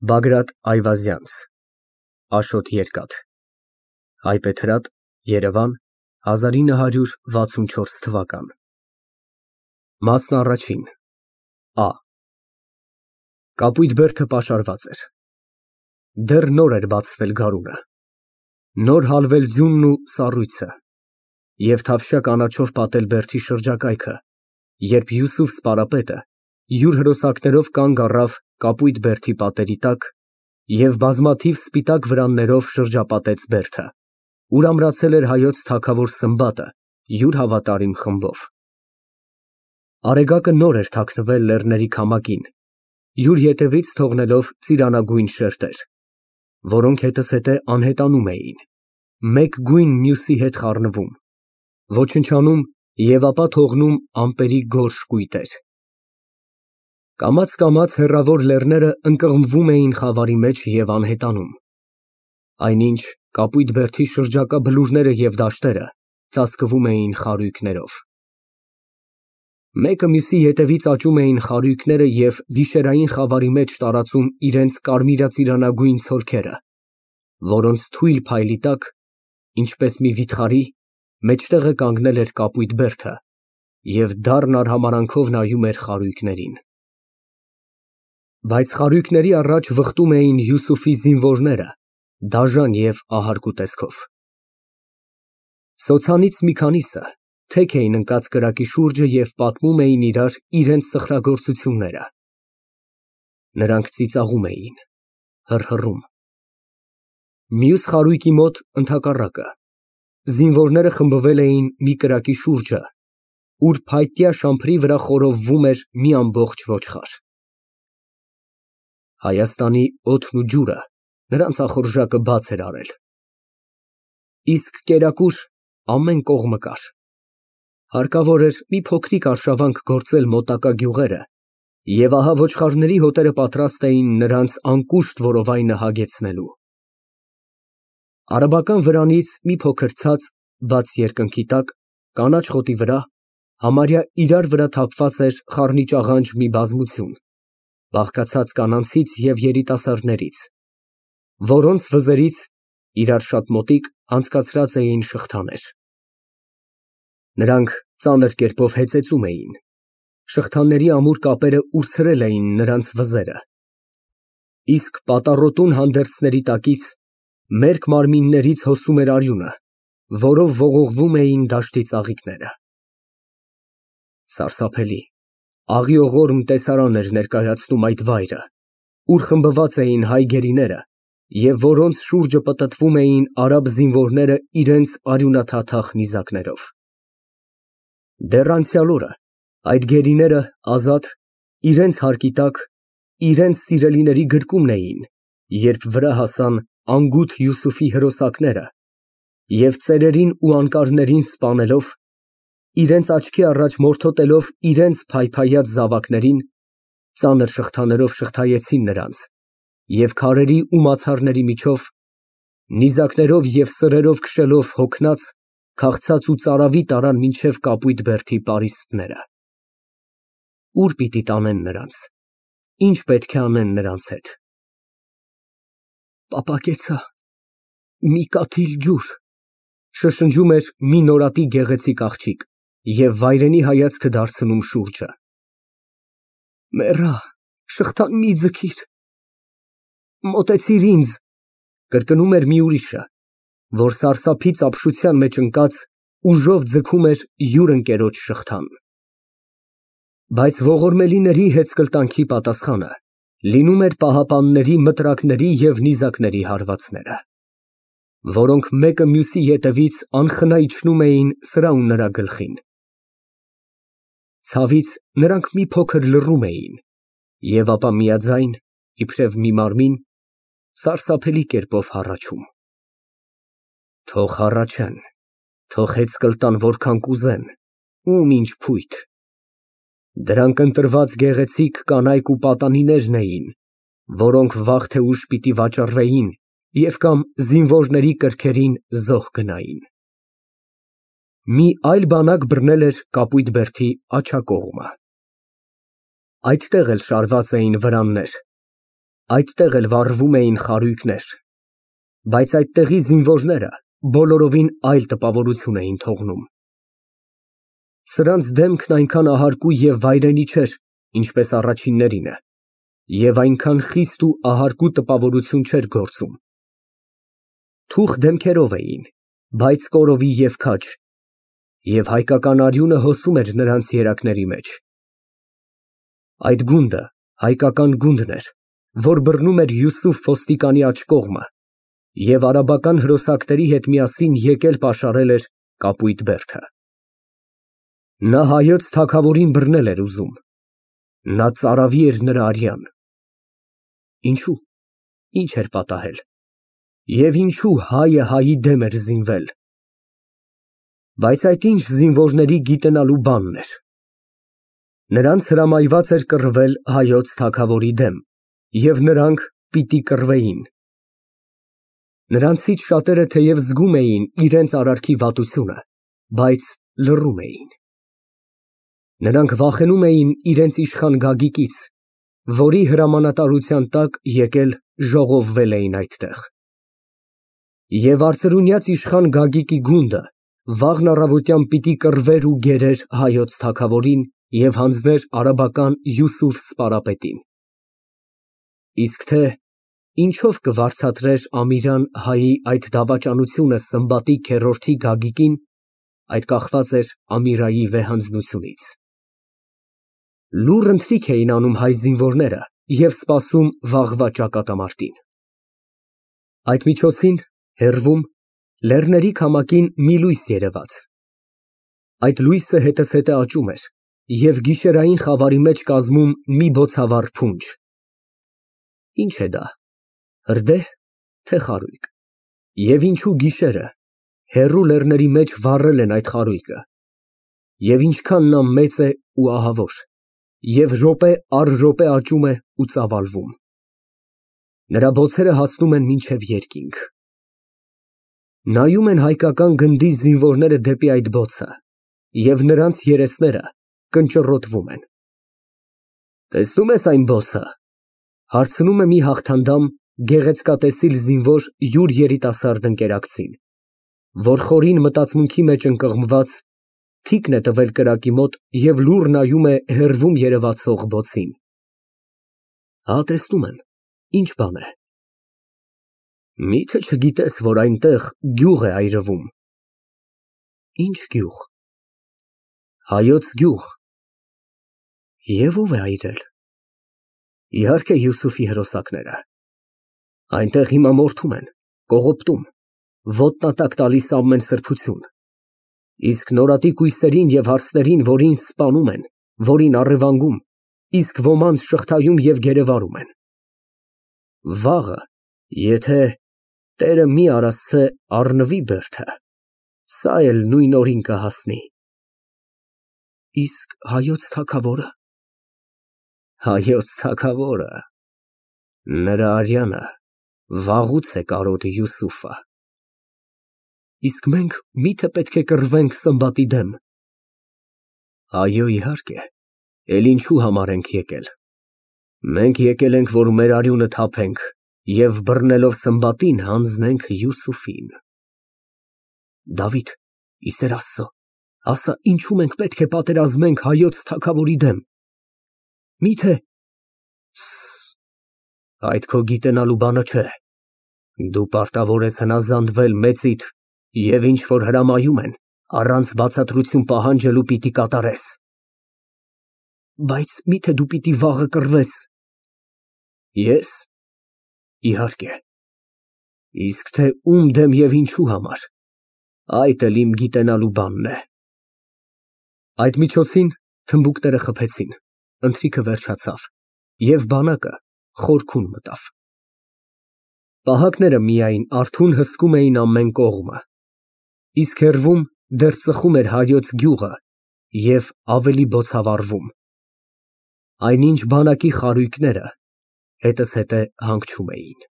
Բագրատ Այվազյանց Աշոտ Երկաթ Հայբեթրատ, Երևան 1964 թվական Մասն առաջին Ա Կապույտ բերդը պաշարված էր։ Դեռ նոր էր բացվել գարունը, նոր հալվել ձյունն ու սառույցը և թավշյա կանաչով պատել բերդի շրջակայքը, երբ Յուսուֆ սպարապետը յուր հրոսակներով կանգ առավ կապույտ բերդի պատերի տակ և բազմաթիվ սպիտակ վրաններով շրջապատեց բերդը, ուր ամրացել էր հայոց թագավոր Սմբատը յուր հավատարիմ խմբով։ Արեգակը նոր էր թաքնվել լեռների քամակին, յուր ետևից թողնելով ծիրանագույն շերտեր, որոնք հետզհետե անհետանում էին, մեկ գույն մյուսի հետ խառնվում, ոչնչանում և ապա թողնում ամպերի գորշ կույտեր։ Կամաց հեռավոր լեռները ընկղմվում էին խավարի մեջ և անհետանում, այնինչ կապույտ բերդի շրջակա բլուրները և դաշտերը ծածկվում էին խարույկներով։ Մեկը մյուսի ետևից աճում էին խարույկները և գիշերային խավարի մեջ տարածում իրենց կարմիրածիրանագույն ցոլքերը, որոնց թույլ փայլի տակ, ինչպես մի վիթխարի, մեջտեղը կանգնել էր կապույտ բերդը և դառն արհամարհանքով նայում էր խարույկներին։ Բայց խարույկների առաջ վխտում էին Յուսուֆի զինվորները, դաժան և ահարկու տեսքով։ Սոցանից մի քանիսը թեք էին ընկած կրակի շուրջը և պատմում էին իրար իրենց սխրագործությունները։ Նրանք ծիծաղում էին, հռհռում։ Մյուս խարույկի մոտ ընդհակառակը, զինվորները խմբվել էին մի կրակի շուրջը, ուր փայտյա շամփրի վրա խորովվում էր մի ամբողջ ոչխար։ Հայաստանի օդն ու ջուրը նրանց ախորժակը բաց էր արել, իսկ կերակուր ամեն կողմը կար։ Հարկավոր էր մի փոքրիկ արշավանք գործել մոտակա գյուղերը, և ահա ոչխարների հոտերը պատրաստ էին նրանց անկուշտ որովայնը հագեցնելու։ Արաբական վրանից մի փոքր ցած, բաց երկնքի տակ, կանաչ խոտի վրա, համարյա իրար վրա թափված էր խառնիճաղանճ մի բազմություն, բաղկացած կանանցից և երիտասարդներից, որոնց վզերից իրար շատ մոտիկ անցկացրած էին շղթաներ։ Նրանք ծանր կերպով հեծեծում էին, շղթաների ամուր կապերը ուրցրել էին նրանց վզերը, իսկ պատառոտուն հանդերձների տակից մերկ մարմիններից հոսում էր արյունը, որով ողողվում էին դաշտի ծաղիկները։ Սարսափելի, աղիողորմ տեսարան էր ներկայացնում այդ վայրը, ուր խմբված էին հայ գերիները և որոնց շուրջը պտտվում էին արաբ զինվորները իրենց արյունաթաթախ նիզակներով։ Դեռ անցյալ օրը այդ գերիները ազատ, իրենց հարկի տակ, իրենց սիրելիների գրկումն էին, երբ վրա հասան անգութ Յուսուֆի հրոսակները և ծերերին ու անկարներին սպանելով, իրենց աչքի առաջ մորթոտելով իրենց փայփայած զավակներին, ծանր շղթաներով շղթայեցին նրանց և քարերի ու մացառների միջով, նիզակներով և սրերով քշելով հոգնած, քաղցած ու ծարավի տարան մինչև կապույտ բերդի պարիսպները։ Ուր պիտի տանեն նրանց, ինչ պետք է անեն նրանց հետ։ «Պապակեցա, մի կաթիլ ջուր», շշնջում էր մի նորատի գեղեցիկ աղջիկ և վայրենի հայացքը դարձնում շուրջը։ «Մեռա, շղթան մի ձգիր»։ «Մոտեցիր ինձ», կրկնում էր մի ուրիշը, որ սարսափից ապշության մեջ ընկած ուժով ձգում էր յուր ընկերոջ շղթան։ Բայց ողորմելիների հեծկլտանքի պատասխանը լինում էր պահապանների մտրակների և նիզակների հարվածները, որոնք մեկը մյուսի ետևից անխնա իջնում էին սրա ու նրա գլխին։ Ցավից նրանք մի փոքր լռում էին և ապա միաձայն, իբրև մի մարմին, սարսափելի կերպով հառաչում։ Թող հառաչեն, թող հեծկլտան որքան կուզեն, ում ինչ փույթ։ Դրանք ընտրված գեղեցիկ կանայք ու պատանիներն էին, որոնք վաղ թե ուշ պիտի վաճառվեին և կամ զինվորների կրքերին զոհ գնային։ Մի այլ բանակ բռնել էր կապույտ բերդի աջակողմը։ Այդտեղ էլ շարված էին վրաններ, Այդտեղ էլ վառվում էին խարույկներ, բայց այդտեղի զինվորները բոլորովին այլ տպավորություն էին թողնում։ Սրանց դեմքն այնքան ահարկու և վայրենի չէր, ինչպես առաջիններինը, և այնքան խիստ ու ահարկու տպավորություն չէր գործում։ Թուխ դեմքերով էին, բայց կորովի և քաջ, և հայկական արյունը հոսում էր նրանց երակների մեջ։ Այդ գունդը հայկական գունդն էր, որ բռնում էր Յուսուֆ ոստիկանի աջ կողմը և արաբական հրոսակների հետ միասին եկել պաշարել էր կապույտ բերդը։ Նա հայոց թագավորին բռնել էր ուզում, նա ծարավի էր նրա արյան։ Ինչո՞ւ, ինչ էր պատահել, և ինչո՞ւ հայը հայի դեմ էր զինվել։ Բայց այդ ինչ զինվորների գիտենալու բանն էր։ Նրանց հրամայված էր կռվել հայոց թագավորի դեմ, և նրանք պիտի կռվեին։ Նրանցից շատերը թեև զգում էին իրենց արարքի վատությունը, բայց լռում էին։ Նրանք վախենում էին իրենց իշխան Գագիկից, որի հրամանատարության տակ եկել ժողովվել էին այդտեղ։ Եվ արծրունյաց իշխան Գագիկի գունդը վաղն առավոտյան պիտի կռվեր ու գերեր հայոց թագավորին և հանձներ արաբական Յուսուֆ սպարապետին։ Իսկ թե ինչով կվարձատրեր Ամիրան հայի այդ դավաճանությունը Սմբատի քերորդի Գագիկին, այդ կախված էր Ամիրայի վեհանձնությունից։ Լուռ ընթրիք էին անում հայ զինվորները և սպասում վաղվա ճակատամարտին։ Այդ միջոցին, հեռվում, լեռների քամակին մի լույս երևաց։ Այդ լույսը հետզհետե աճում էր և գիշերային խավարի մեջ կազմում մի բոցավառ փունջ։ Ի՞նչ է դա, հրդեհ, թե խարույկ, և ինչու գիշերը, հեռու լեռների մեջ վառել են այդ խարույկը, և ինչքան նա մեծ է ու ահավոր, և րոպե առ րոպե աճում է ու ծավալվում։ Նրա բոցերը հասնում են մինչև երկինք։ Նայում են հայկական գնդի զինվորները դեպի այդ բոցը, և նրանց երեսները կնճռոտվում են։ Տեսնո՞ւմ ես այն բոցը, հարցնում է մի հաղթանդամ գեղեցկատեսիլ զինվոր յուր երիտասարդ ընկերակցին, որ խորին մտածմունքի մեջ ընկղմված, թիկն է տվել կրակի մոտ և լուռ նայում է հեռվում երևացող բոցին։ Հա, տեսնում եմ, ի՞նչ բան է։ Մի՞թե չգիտես, որ այնտեղ գյուղ է այրվում։ Ի՞նչ գյուղ։ Հայոց գյուղ։ Եվ ո՞վ է այրել։ Իհարկե Յուսուֆի հրոսակները։ Այնտեղ հիմա մորթում են, կողոպտում, ոտնատակ տալիս ամեն սրբություն, իսկ նորատի կույսերին և հարցներին, որին սպանում են, որին առևանգում, իսկ ոմանց շղթայում և գերեվարում են։ Վաղը, եթե Տերը մի արասցե առնվի բերդը, սա էլ նույն օրին կհասնի։ Իսկ հայոց թագավորը։ Հայոց թագավորը, նրա արյանը վաղուց է կարոտ Յուսուֆը։ Իսկ մենք մի՞թե պետք է կռվենք Սմբատի դեմ։ Այո, իհարկե, էլ ինչու համար ենք եկել։ Մենք եկել ենք, որ մեր արյունը թափենք և բռնելով Սմբատին հանձնենք Յուսուֆին։ Դավիթ, ի սեր Աստծո, ասա, ինչու մենք պետք է պատերազմենք հայոց թագավորի դեմ։ Մի՞թե… Այդ քո գիտենալու բանը չէ։ Դու պարտավոր ես հնազանդվել մեծիդ և ինչ որ հրամայում են, առանց բացատրություն պահանջելու պիտի կատարես։ Բայց մի՞թե դու պիտի վաղը կռվես։ Ես։ Իհարկե։ Իսկ թե ում դեմ և ինչու համար, այդ էլ իմ գիտենալու բանն է։ Այդ միջոցին թմբուկները խփեցին, ընթրիքը վերջացավ, և բանակը խորքում մտավ։ Պահակները միայն արթուն հսկում էին ամեն կողմը, իսկ հեռվում դեռ ծխում էր հայոց գյուղը և ավելի բոցավառվում։ Այնինչ բանակի խարույկները հետզհետե հանգչում էին։